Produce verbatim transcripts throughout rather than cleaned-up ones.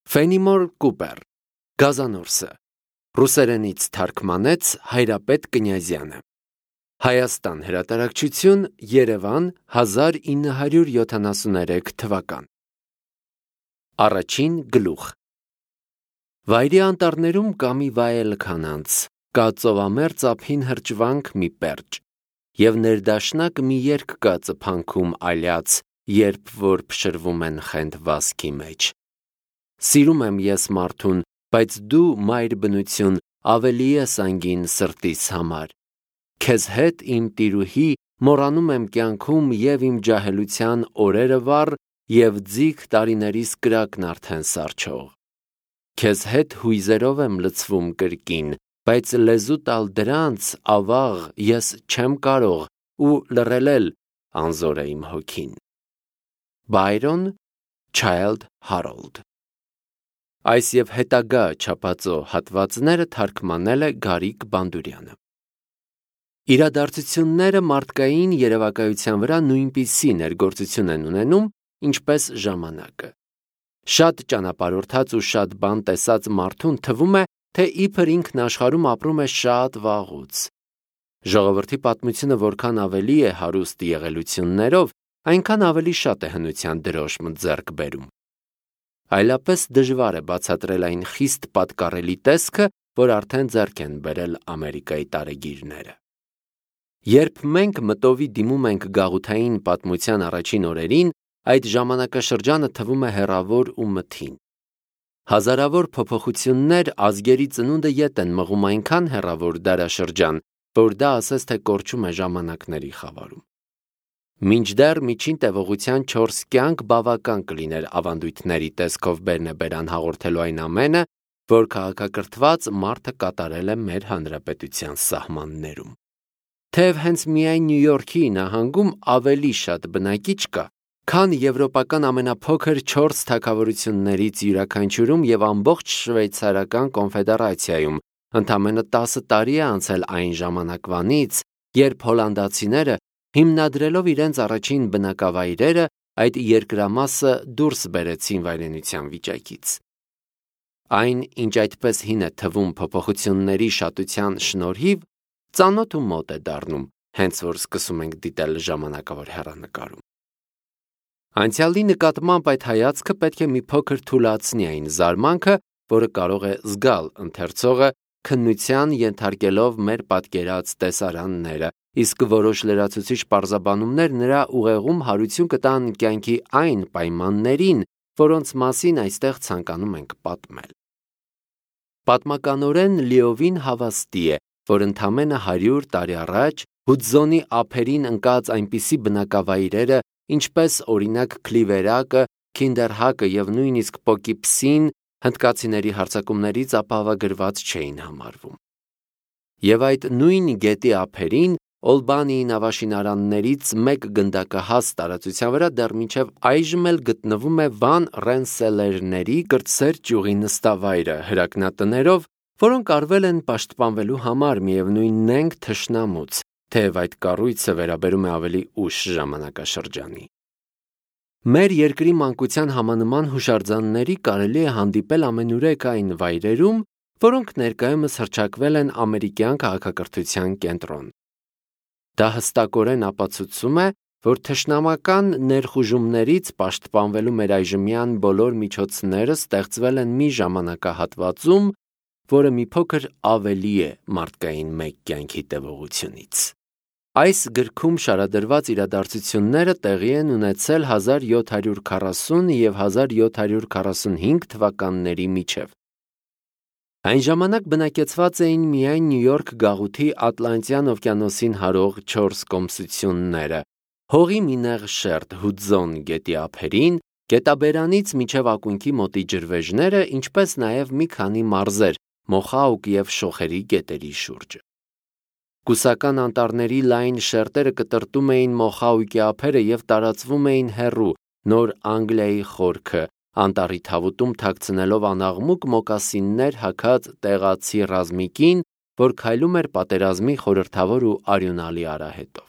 Ֆենիմոր Կուպեր, Գազանորսը, ռուսերենից թարգմանեց Հայրապետ Կնյազյանը։ Հայաստան հրատարակչություն, Երևան, հազար ինը հարյուր յոթանասուններեք թվական։ Առաջին գլուխ։ Վայրի անտառներում կա մի վայել քանանց, կա ծովամերձ ափին հրճվանք մի պերճ, և ներդաշնակ մի երգ կա ծփանքում այլյաց, երբ որ փշրվում են խենթ վազքի մեջ։ Սիրում եմ ես մարդուն, բայց դու, մայր բնություն, ավելի ես անգին սրտիս համար։ Քեզ հետ, իմ տիրուհի, մոռանում եմ կյանքում և իմ ջահելության օրերը վառ, և ձիգ տարիներիս կրակն արդեն սառչող։ Քեզ հետ հույզերով եմ լցվում կրկին, բայց լեզու տալ դրանց, ավաղ, ես չեմ կարող, ու լռել էլ անզոր է իմ հոգին։ Բայրոն Չայլդ Հարոլդ։ Այս և հետագա չափածո հատվածները թարգմանել է Գարիկ Բանդուրյանը։ Իրադարձությունները մարդկային երևակայության վրա նույնպիսի ներգործություն են ունենում, ինչպես ժամանակը։ Շատ ճանապարհորդած ու շատ բան տեսած մարդուն թվում է, թե իբր ինքն աշխարհում ապրում է շատ վաղուց։ Ժողովրդի պատմությունը որքան ավելի է հարուստ եղելություններով, այնքան ավելի շատ է հնության դրոշմ ձեռք բերում։ Այլապես դժվար է բացատրել այն խիստ պատկառելի տեսքը, որ արդեն ձեռք են բերել Ամերիկայի տարեգիրները։ Երբ մենք մտովի դիմում ենք գաղութային պատմության առաջին օրերին, այդ ժամանակաշրջանը թվում է հեռավոր ու մթին։ Հազարավոր փոփոխություններ ազգերի ծնունդը ետ են մղում այնքան հեռավոր դարաշրջան, որ դա ասես թե կորչում է ժամանակների խավարում։ Մինչդեռ միջին տևողության չորս կյանք բավական կլիներ ավանդույթների տեսքով բերնեբերան հաղորդելու այն ամենը, որ քաղաքակրթված մարդը կատարել է մեր հանրապետության սահմաններում։ Թեև հենց միայն Նյու Յորքի նահանգում ավելի շատ բնակիչ կա, քան եվրոպական ամենափոքր չորս թագավորություններից յուրաքանչյուրում և ամբողջ Շվեյցարական կոնֆեդերացիայում, ընդամենը տասը տարի է անցել այն ժամանակվանից, երբ հոլանդացիները, հիմնադրելով իրենց առաջին բնակավայրերը, այդ երկրամասը դուրս բերեցին վայրենության վիճակից։ Այն, ինչ այդպես հին է թվում փոփոխությունների շատության շնորհիվ, ծանոթ ու մոտ է դառնում, հենց որ սկսում ենք դիտել ժամանակավոր հեռանկարում։ Անցյալի նկատմամբ այդ հայացքը պետք է մի փոքր թուլացնի այն զարմանքը, որը կարող է զգալ ընթերցողը, քննության ենթարկելով մեր պատկերած տեսարանները, իսկ որոշ լրացուցիչ պարզաբանումներ նրա ուղեղում հարություն կտան կյանքի այն պայմաններին, որոնց մասին այստեղ ցանկանում ենք պատմել։ Պատմականորեն լիովին հավաստի է, որ ընդամենը հարյուր տարի առաջ Հուդզոնի ափերին ընկած այնպիսի բնակավայրերը, ինչպես օրինակ Քլիվերակը, Քինդերհակը և նույնիսկ Պոկիպսին, հնդկացիների հարձակումներից ապահովագրված չէին համարվում։ Եվ այդ նույն գետի ափերին Օլբանիի նավաշինարաններից մեկ գնդակահաս տարածության վրա դեռ մինչև այժմ էլ գտնվում է Վան Ռենսելերների կրտսեր ճյուղի նստավայրը հրակնատներով, որոնք արվել են պաշտպանվելու համար միևնույն նենգ թշնամուց, թեև այդ կառույցը վերաբերում է ավելի ուշ ժամանակաշրջանի։ Մեր երկրի մանկության համանման հուշարձանների կարելի է հանդիպել ամենուրեք այն վայրերում, որոնք ներկայումս հռչակվել են ամերիկյան քաղաքակրթության կենտրոն։ Դա հստակորեն ապացուցում է, որ թշնամական ներխուժումներից պաշտպանվելու մեր այժմյան բոլոր միջոցները ստեղծվել են մի ժամանակահատվածում, որը մի փոքր ավելի է մարդկային մեկ կյանքի տևողությունից։ Այս գրքում շարադրված իրադարձությունները տեղի են ունեցել հազար յոթ հարյուր քառասուն և հազար յոթ հարյուր քառասունհինգ թվականների միջև։ Այն ժամանակ բնակեցված էին միայն Նյու Յորք գաղութի Ատլանտյան օվկիանոսին հարող չորս կոմսությունները, հողի մի նեղ շերտ Հուդզոն գետի ափերին, գետաբերանից մինչև ակունքի մոտի ջրվեժները, ինչպես նաև մի քանի մարզեր Մոխաուկ և Շոխերի գետերի շուրջը։ Կուսական անտառների լայն շերտերը կտրտում էին Մոխաուկի ափերը և տարածվում էին հեռու, Նոր Անգլիայի խորքը, անտառի թավուտում թաքցնելով անաղմուկ մոկասիններ հագած տեղացի ռազմիկին, որ քայլում էր պատերազմի խորհրդավոր ու արյունալի արահետով։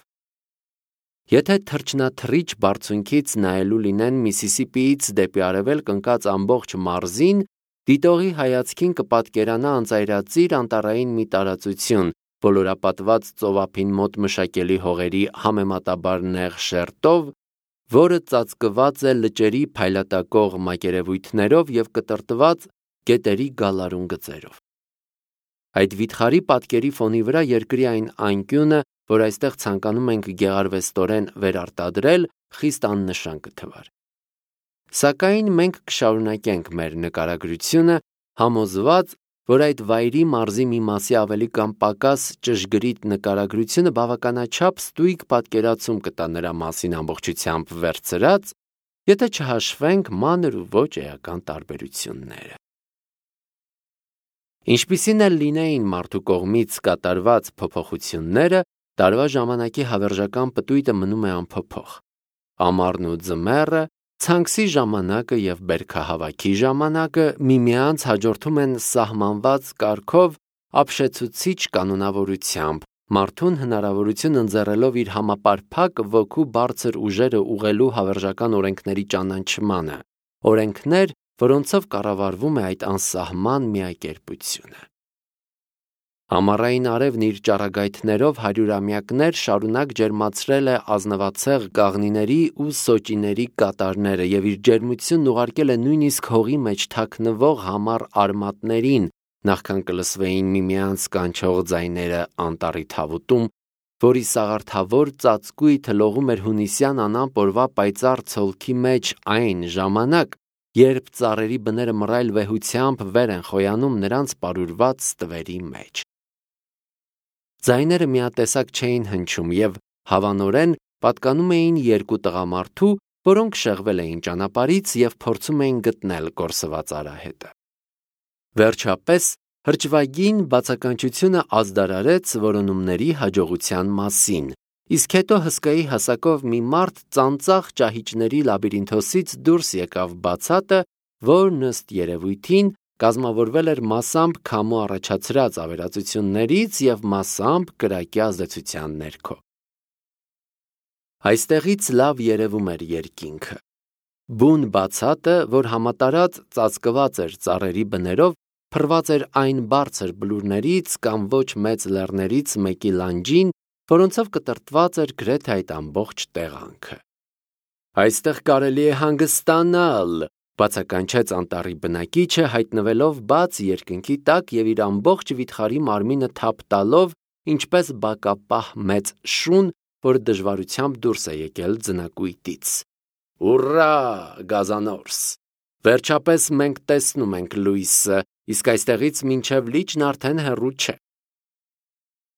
Եթե թռչնաթռիչ բարձունքից նայելու լինեն Միսիսիպիից դեպի արևելք ընկած ամբողջ մարզին, դիտողի հայացքին կպատկերանա անծայրածիր անտառային մի տարածություն, ոլորապատված ծովափին մոտ մշակելի հողերի համեմատաբար նեղ շերտով, որը ծածկված է լճերի փայլատակող մակերևույթներով և կտրտված գետերի գալարուն գծերով։ Այդ վիթխարի պատկերի ֆոնի վրա երկրի այն անկյունը, որ այստեղ ցանկանում ենք գեղարվեստորեն վերարտադրել, խիստ աննշան կթվար։ Սակայն մենք կշարունակենք մեր նկարագրությունը, համոզված, որ այդ վայրի մարզի մի մասի ավելի կամ պակաս ճշգրիտ նկարագրությունը բավականաչափ ստույգ պատկերացում կտա նրա մասին ամբողջությամբ վերցրած, եթե չհաշվենք մանր ու ոչ էական տարբերությունները։ Ինչպիսին էլ լինեին մարդու կողմից կատարված փոփոխությունները, տարվա ժամանակի հավերժական պտույտը մնում է անփոփոխ։ Ամառն ու ձմեռը, ցանքսի ժամանակը և բերքահավաքի ժամանակը միմյանց հաջորդում են սահմանված կարգով ապշեցուցիչ կանոնավորությամբ, մարդուն հնարավորություն ընձեռելով իր համապարփակ ոգու բարձր ուժերը ուղղելու հավերժական օրենքների ճանաչմանը, օրենքներ, որոնցով կառավարվում է այդ անսահման միակերպությունը։ Ամառային արևն իր ճառագայթներով հարյուրամյակներ շարունակ ջերմացրել է ազնվացեղ կաղնիների ու սոճիների կատարները և իր ջերմությունն ուղարկել է նույնիսկ հողի մեջ թաքնվող համառ արմատներին, նախքան կլսվեին միմյանց կանչող ձայները անտառի թավուտում, որի սաղարթավոր ծածկույթը լողում էր հունիսյան անամպ օրվա պայծառ ցոլքի մեջ այն ժամանակ, երբ ծառերի բները մռայլ վեհությամբ վեր են խոյանում նրանց պարուրված ստվերի մեջ։ Ձայները միատեսակ չէին հնչում և հավանորեն պատկանում էին երկու տղամարդու, որոնք շեղվել էին ճանապարհից և փորձում էին գտնել կորսված արահետը։ Վերջապես հրճվագին բացականչությունը ազդարարեց որոնումների հաջողության մասին, իսկ հետո հսկայի հասակով մի մարդ ծանծաղ ճահիճների լաբիրինթոսից դուրս եկավ բացատը, որն ըստ երևույթին կազմավորվել էր մասամբ քամու առաջացրած ավերածություններից և մասամբ կրակի ազդեցության ներքո։ Այստեղից լավ երևում էր երկինքը։ Բուն բացատը, որ համատարած ծածկված էր ծառերի բներով, փռված էր այն բարձր բլուրներից կամ ոչ մեծ լեռներից մեկի լանջին, որոնցով կտրտված էր գրեթե այդ ամբողջ տեղանքը։ Այստեղ կարելի է հանգստանալ, բացականչեց անտառի բնակիչը, հայտնվելով բաց երկնքի տակ և իր ամբողջ վիթխարի մարմինը թափ տալով, ինչպես բակապահ մեծ շուն, որ դժվարությամբ դուրս է եկել ձնակույտից։ Ուռա, գազանորս։ Վերջապես մենք տեսնում ենք լույսը, իսկ այստեղից մինչև լիճն արդեն հեռու չէ։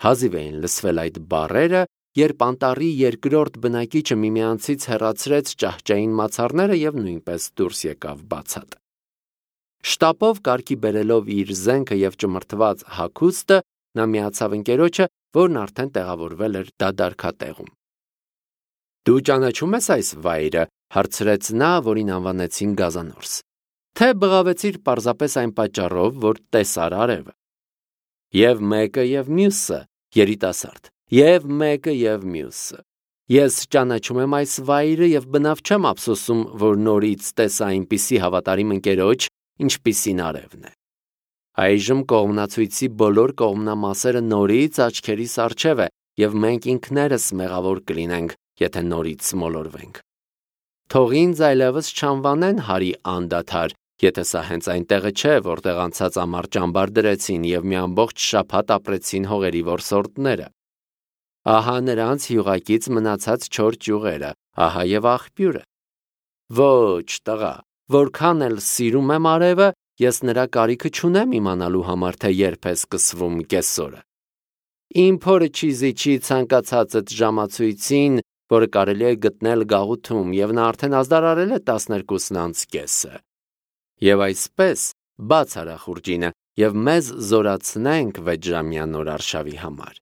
Հազիվ էին լսվել այդ բառերը, երբ անտառի երկրորդ բնակիչը միմյանցից հեռացրեց ճահճային մացառները և նույնպես դուրս եկավ բացատ։ Շտապով կարգի բերելով իր զենքը և ճմրթված հագուստը, նա միացավ ընկերոջը, որն արդեն տեղավորվել էր դադարքատեղում։ Դու ճանաչում ես այս վայրը, հարցրեց նա, որին անվանեցին Գազանորս, թե բղավեցիր պարզապես այն պատճառով, որ տեսար արևը։ Եվ մեկը և մյուսը, երիտասարդ, և մեկը և մյուսը։ Ես ճանաչում եմ այս վայրը և բնավ չեմ ափսոսում, որ նորից տեսա այնպիսի հավատարիմ ընկերոջ, ինչպիսին արևն է։ Այժմ կողմնացույցի բոլոր կողմնամասերը նորից աչքերիս առջև է, և մենք ինքներս մեղավոր կլինենք, եթե նորից մոլորվենք։ Թող ինձ այլևս չանվանեն հարի անդադար, եթե սա հենց այն տեղը չէ, որտեղ անցած ամառ ճամբար դրեցին և մի ամբողջ շաբաթ ապրեցին հողերի որսորդները։ Ահա նրանց յուղակից մնացած չոր ճյուղերը, ահա և աղբյուրը։ Ոչ, տղա, որքան էլ սիրում եմ արևը, ես նրա կարիքը չունեմ իմանալու համար, թե երբ է սկսվում կեսօրը։ Իմ փորը չի զիջի ցանկացածդ ժամացույցին, որը կարելի է գտնել գաղութում, և նա արդեն ազդարարել է տասներկուսն անց կեսը։ Եվ այսպես, բաց արա խուրջինը, և մեզ զորացնենք վեցժամյա նոր արշավի համար։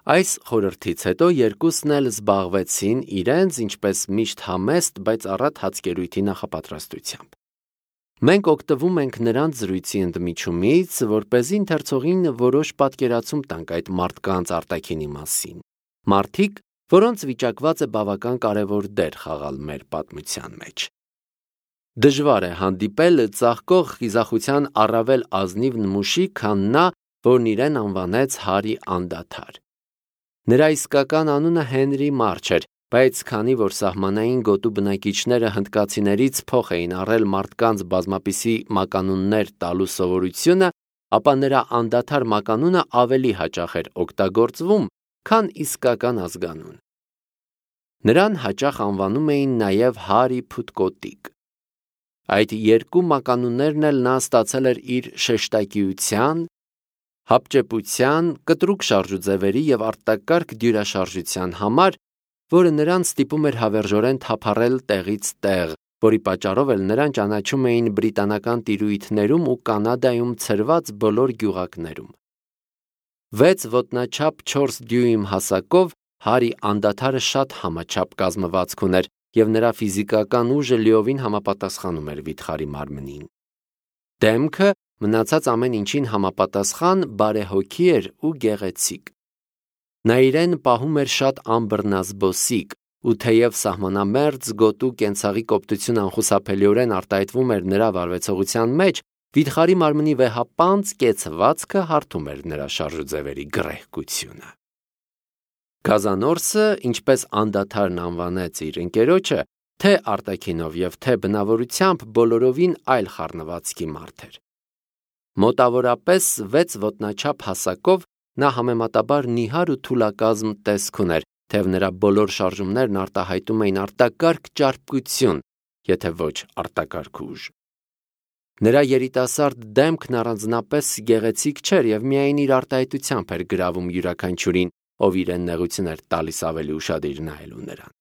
Այս խորհրդից հետո երկուսն էլ զբաղվեցին իրենց, ինչպես միշտ համեստ, բայց առատ հացկերույթի նախապատրաստությամբ։ Մենք օգտվում ենք նրանց զրույցի ընդմիջումից, որպեսզի ընթերցողին որոշ պատկերացում տանք այդ մարդկանց արտաքինի մասին։ Մարդիկ, որոնց վիճակված է բավական կարևոր դեր խաղալ մեր պատմության մեջ։ Դժվար է հանդիպել ծաղկող խիզախության առավել ազնիվ նմուշի, քան նա, որն իրեն անվանեց Հարի Անդադար։ Նրա իսկական անունը Հենրի Մարչ էր, բայց քանի որ սահմանային գոտու բնակիչները հնդկացիներից փոխ էին առել մարդկանց բազմապիսի մականուններ տալու սովորությունը, ապա նրա անդադար մականունը ավելի հաճախ էր օգտագործվում, քան իսկական ազգանուն։ Նրան հաճախ անվանում էին նաև Հարի Փուտկոտիկ։ Այդ երկու մականուններն էլ նա ստացել էր իր շեշտակիության, հապճեպության, կտրուկ շարժուձևերի և արտակարգ դյուրաշարժության համար, որը նրան ստիպում էր հավերժորեն թափառել տեղից տեղ, որի պատճառով էլ նրան ճանաչում էին բրիտանական տիրույթներում ու Կանադայում ցրված բոլոր գյուղակներում։ Վեց ոտնաչափ չորս դյույմ հասակով Հարի Անդադարը շատ համաչափ կազմվածք ուներ, և նրա ֆիզիկական ուժը լիովին համապատասխանում էր վիթխարի մարմնին։ Դեմքը մնացած ամեն ինչին համապատասխան բարեհոգի էր ու գեղեցիկ։ Նա իրեն պահում էր շատ անբռնազբոսիկ, ու թեև սահմանամերձ գոտու կենցաղի կոպտություն անխուսափելիորեն արտահայտվում էր նրա վարվեցողության մեջ, վիթխարի մարմնի վեհապանծ կեցվածքը հարթում էր նրա շարժուձևերի գռեհկությունը։ Գազանորսը, ինչպես անդադարն անվանեց իր ընկերոջը, թե արտաքինով և թե բնավորությամբ բոլորովին այլ խառնվածքի մարդ էր։ Մոտավորապես վեց ոտնաչափ հասակով նա համեմատաբար նիհար ու թուլակազմ տեսք ուներ, թեև նրա բոլոր շարժումներն արտահայտում էին արտակարգ ճարպկություն, եթե ոչ արտակարգ ուժ։ Նրա երիտասարդ դեմքն առանձնապես գեղեցիկ չէր և միայն իր արտահայտությամբ էր գրավում յուրաքանչյուրին, ով իրեն նեղություն էր տալիս ավելի ուշադիր նայելու նրան։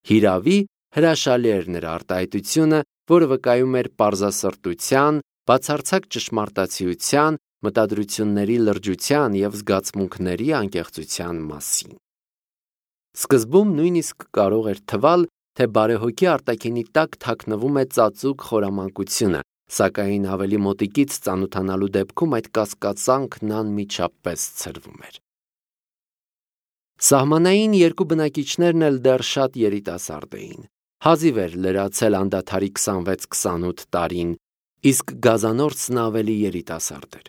Հիրավի, հրաշալի էր նրա արտահայտությունը, որը վկայում էր պարզասրտության, բացարձակ ճշմարտացիության, մտադրությունների լրջության և զգացմունքների անկեղծության մասին։ Սկզբում նույնիսկ կարող էր թվալ, թե բարեհոգի արտաքինի տակ թաքնվում է ծածուկ խորամանկությունը, սակայն ավելի մոտիկից ծանոթանալու դեպքում այդ կասկածանքն անմիջապես ցրվում էր։ Սահմանային երկու բնակիչներն էլ դեռ շատ երիտասարդ էին։ Հազիվ էր լրացել անդադարի քսանվեց քսանութ տարին, իսկ Գազանորսն ավելի երիտասարդ էր։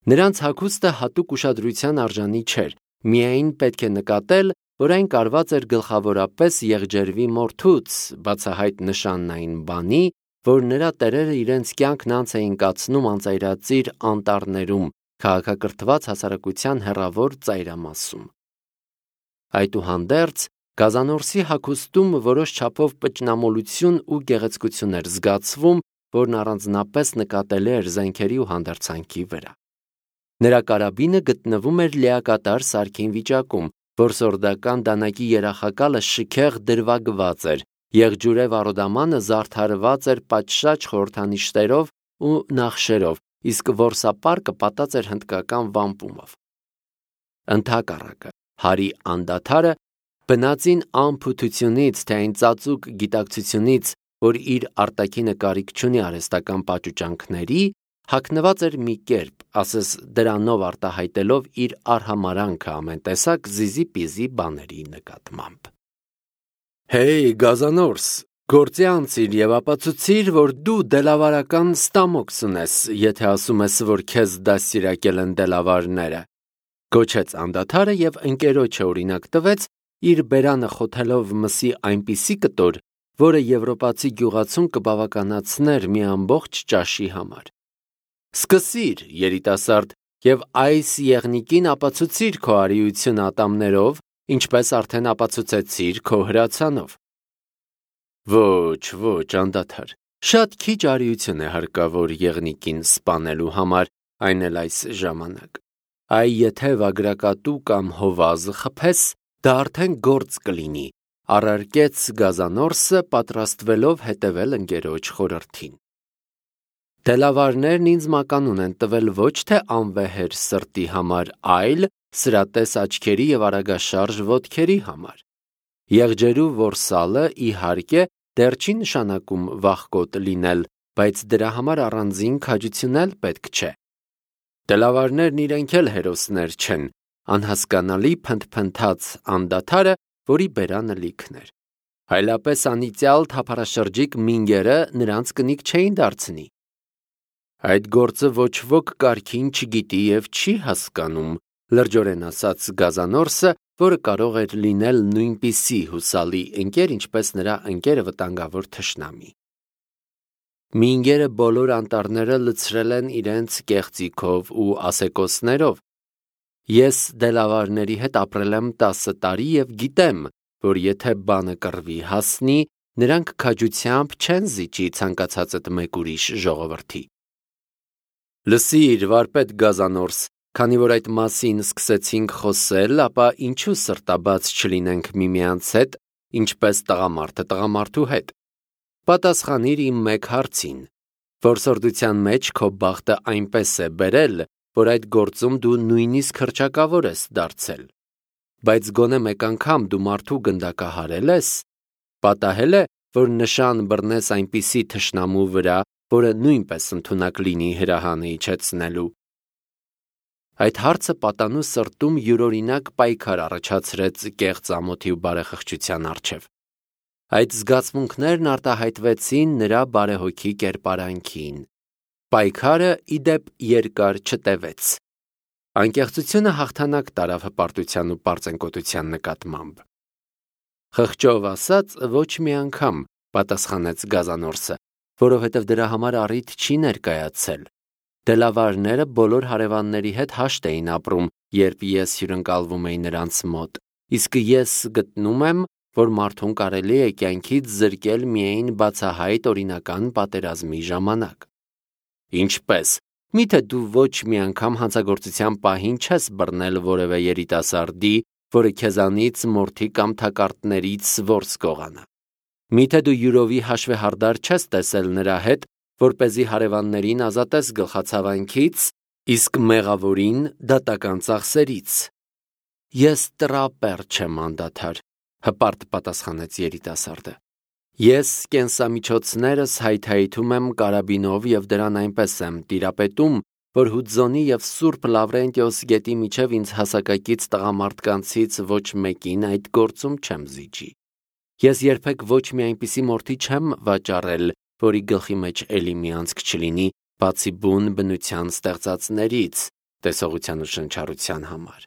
Նրանց հագուստը հատուկ ուշադրության արժանի չէր, միայն պետք է նկատել, որ այն կարված էր գլխավորապես եղջերվի մորթուց, բացահայտ նշանն այն բանի, որ նրա տերերը իրենց կյանքն անց էին կացնում անծայրածիր անտառներում, քաղաքակրթված հասարակության հեռավոր ծայրամասում։ Այդուհանդերձ, Գազանորսի հագուստում որոշ չափով պճնամոլություն ու գեղեցկություն էր զգացվում, որն առանձնապես նկատելի էր զենքերի ու հանդերձանքի վրա։ Նրա կարաբինը գտնվում էր լիակատար սարքին վիճակում, որսորդական դանակի երախակալը շքեղ դրվագված էր, եղջյուրե վառոդամանը զարդարված էր պատշաճ խորհրդանիշերով ու նախշերով, իսկ որսապարկը պատած էր հնդկական վամպումով։ Ընդհակառակը, Հարի Անդադարը բնածին անփութությունից, թե այն ծածուկ գիտակցությունից, որ իր արտաքինը կարիք չունի արհեստական պաճուճանքների, հագնված էր մի կերպ, ասես դրանով արտահայտելով իր արհամարանքը ամեն տեսակ զիզի-պիզի բաների նկատմամբ։ Հեյ, Գազանորս, գործի անցիր և ապացուցիր, որ դու դելավարական ստամոքս ունես, եթե ասում ես, որ քեզ դաստիարակել են դելավարները, գոչեց անդադարը և ընկերոջը օրինակ տվեց, իր բերանը խոթելով մսի այնպիսի կտոր, որը եվրոպացի գյուղացուն կբավականացներ մի ամբողջ ճաշի համար։ Սկսիր, երիտասարդ, և այս եղնիկին ապացուցիր քո արիությունը ատամներով, ինչպես արդեն ապացուցեցիր քո հրացանով։ Ոչ, ոչ, անդադար, շատ քիչ արիություն է հարկավոր եղնիկին սպանելու համար, այն էլ այս ժամանակ։ Այ եթե վագրակատու կամ հովազը խփես, դա արդեն գործ կլինի, առարկեց Գազանորսը, պատրաստվելով հետևել ընկերոջ խորհրդին։ Դելավարներն ինձ մականուն են տվել ոչ թե անվեհեր սրտի համար, այլ սրատես աչքերի և արագաշարժ ոտքերի համար։ Եղջերու որսալը, իհարկե, դեռ չի նշանակում վախկոտ լինել, բայց դրա համար առանձին քաջություն էլ պետք չէ։ Դելավարներն իրենք էլ հերոսներ չեն, անհասկանալի փնթփնթաց անդադարը, որի բերանը լիքն էր։ Այլապես անիծյալ թափառաշրջիկ մինգերը նրանց կնիկ չէին դարձնի։ Այդ գործը ոչ ոք կարգին չգիտի և չի հասկանում, լրջորեն ասաց Գազանորսը, որը կարող էր լինել նույնպիսի հուսալի ընկեր, ինչպես նրա ընկերը վտանգավոր թշնամի։ Մինգերը բոլոր անտառները լցրել են իրենց կեղծիքով ու ասեկոսներով։ Ես դելավարների հետ ապրել եմ տասը տարի և գիտեմ, որ եթե բանը կռվի հասնի, նրանք քաջությամբ չեն զիջի ցանկացածդ մեկ ուրիշ ժողովրդի։ Լսիր, վարպետ Գազանորս, քանի որ այդ մասին սկսեցինք խոսել, ապա ինչու սրտաբաց չլինենք միմյանց հետ, ինչպես տղամարդը տղամարդու հետ։ Պատասխանիր իմ մեկ հարցին. որսորդության մեջ քո բախտը այնպես է բերել, որ այդ գործում դու նույնիսկ հռչակավոր ես դարձել։ Բայց գոնե մեկ անգամ դու մարդու գնդակահարել ես, պատահել է, որ նշան բռնես այնպիսի թշնամու վրա, որը նույնպես ընդունակ լինի հրահանը իջեցնելու։ Այդ հարցը պատանու սրտում յուրօրինակ պայքար առաջացրեց կեղծ ամոթի ու բարեխղճության առջև։ Այդ զգացմունքներն արտահայտվեցին նրա բարեհոգի կերպարանքին։ Պայքարը, ի դեպ, երկար չտևեց։ Անկեղծությունը հաղթանակ տարավ հպարտության ու պարծենկոտության նկատմամբ։ Խղճով ասած, ոչ մի անգամ, պատասխանեց Գազանորսը, որովհետև դրա համար առիթ չի ներկայացել։ Դելավարները բոլոր հարևանների հետ հաշտ էին ապրում, երբ ես հյուրընկալվում էի նրանց մոտ, իսկ ես գտնում եմ, որ մարդուն կարելի է կյանքից զրկել միայն բացահայտ օրինական պատերազմի ժամանակ։ Ինչպես, միթե դու ոչ մի անգամ հանցագործության պահին չես բռնել որևէ երիտասարդի, որը քեզանից մորթի կամ թակարդներից որս կողանա։ Միթե դու յուրովի հաշվեհարդար չես տեսել նրա հետ, որպեսզի հարևաններին ազատես գլխացավանքից, իսկ մեղավորին դատական ծախսերից։ Ես տրապեր չեմ անդադար, հպարտ պատասխանեց երիտասարդը։ Ես կենսամիջոցներս հայթայթում եմ կարաբինով և դրան այնպես եմ տիրապետում, որ Հուդզոնի և Սուրբ Լավրենտիոս գետի միջև ինձ հասակակից տղամարդկանցից ոչ մեկին այդ գործում չեմ զիջի։ Ես երբեք ոչ մի այնպիսի մորթի չեմ վաճառել, որի գլխի մեջ էլի մի անցք չլինի, բացի բուն բնության ստեղծածներից, տեսողության ու շնչառության համար։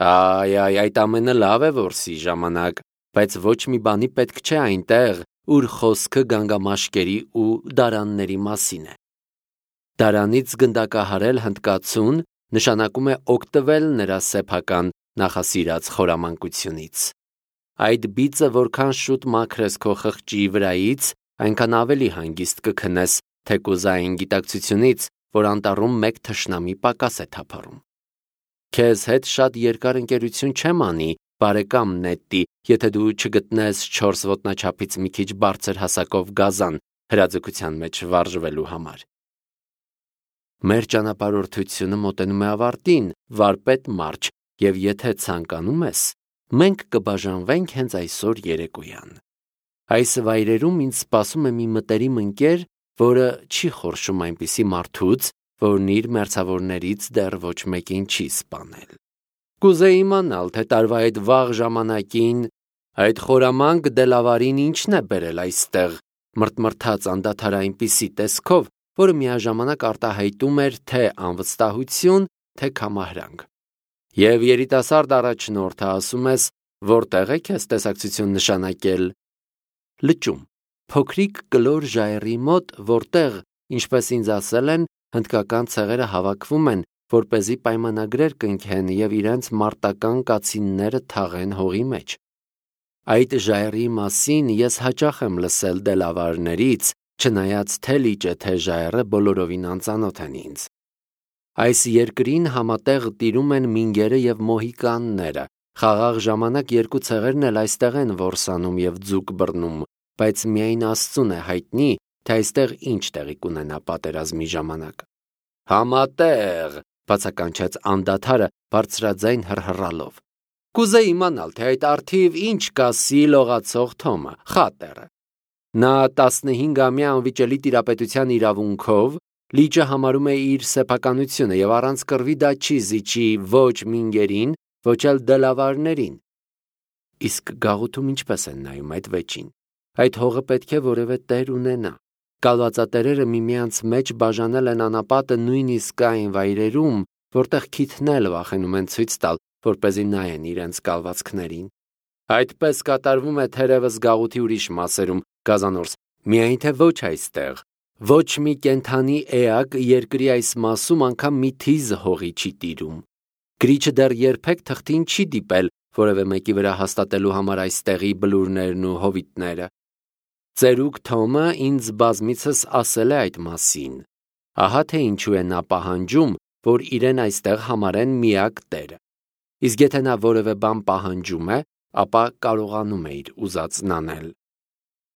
Այ, այ, այդ ամենը լավ է որսի ժամանակ, բայց ոչ մի բանի պետք չէ այնտեղ, ուր խոսքը գանգամաշկերի ու դարանների մասին է։ Դարանից գնդակահարել հնդկացուն նշանակում է օգտվել նրա սեփական նախասիրած խորամանկությունից։ Այդ բիծը որքան շուտ մաքրես քո խղճի վրայից, այնքան ավելի հանգիստ կքնես թեկուզ այն գիտակցությունից, որ անտառում մեկ թշնամի պակաս է թափառում։ Քեզ հետ շատ երկար ընկերություն չեմ անի, բարեկամ Նետտի, եթե դու չգտնես չորս ոտնաչափից մի քիչ բարձր հասակով գազան հրաձգության մեջ վարժվելու համար։ Մեր ճանապարհորդությունը մոտենում է ավարտին, վարպետ Մարջ, և եթե ցանկանում ես, մենք կբաժանվենք հենց այսօր երեկոյան։ Այս վայրերում ինձ սպասում է մի մտերիմ ընկեր, որը չի խորշում այնպիսի մարդուց, որն իր մերձավորներից դեռ ոչ մեկին չի սպանել։ Կուզեի իմանալ, թե տարվա այդ վաղ ժամանակին այդ խորամանկ դելավարին ինչն է բերել այստեղ, մրթմրթաց անդադար այնպիսի տեսքով, որը միաժամանակ արտահայտում էր թե անվստահություն, թե կամահրանք։ Եվ երիտասարդ առաջնորդը ասում ես, որտեղ է քեզ տեսակցություն նշանակել։ Լճում, փոքրիկ կլոր ժայռի մոտ, որտեղ, ինչպես ինձ ասել են, հնդկական ցեղերը հավաքվում են, որպեսզի պայմանագրեր կնքեն և իրենց մարտական կացինները թաղեն հողի մեջ։ Այդ ժայռի մասին ես հաճախ եմ լսել դելավարներից, չնայած թե լիճը, թե ժայռը բոլորովին անծանոթ են ինձ։ Այս երկրին համատեղ տիրում են մինգերը և մոհիկանները, խաղաղ ժամանակ երկու ցեղերն էլ այստեղ են որսանում և ձուկ բռնում, բայց միայն Աստծուն է հայտնի, թե այստեղ ինչ տեղի կունենա պատերազմի ժամանակ։ Համատեղ, բացականչեց անդադարը բարձրաձայն հռհռալով։ Կուզեի իմանալ, թե այդ առթիվ ինչ կասի լողացող Թոմը, խատերը։ Նա տասնհինգամյա անվիճելի տիրապետության իրավունքով լիճը համարում է իր սեփականությունը և առանց կռվի դա չի զիջի ոչ մինգերին ոչ էլ դլավարներին։ Իսկ գաղութում ինչպես են նայում այդ վեճին։ Այդ հողը պետք է որևէ տեր ունենա։ Կալվածատերերը միմյանց մեջ բաժանել են անապատը նույնիսկ այն վայրերում, որտեղ քիթն էլ վախենում են ցույց տալ, որպեսզի նայեն իրենց կալվածքներին։ Այդպես կատարվում է թերևս գաղութի ուրիշ մասերում, Գազանորս, միայն թե ոչ այստեղ։ Ոչ մի կենդանի էակ երկրի այս մասում անգամ մի թիզ հողի չի տիրում։ Գրիչը դեռ երբեք թղթին չի դիպել որևէ մեկի վրա հաստատելու համար այստեղի բլուրներն ու հովիտները։ Ծերուկ Թոմը ինձ բազմիցս ասել է այդ մասին։ Ահա թե ինչու է նա պահանջում, որ իրեն այստեղ համարեն միակ տերը։ Իսկ եթե նա որևէ բան պահանջում է, ապա կարողանում է իր ուզածն անել։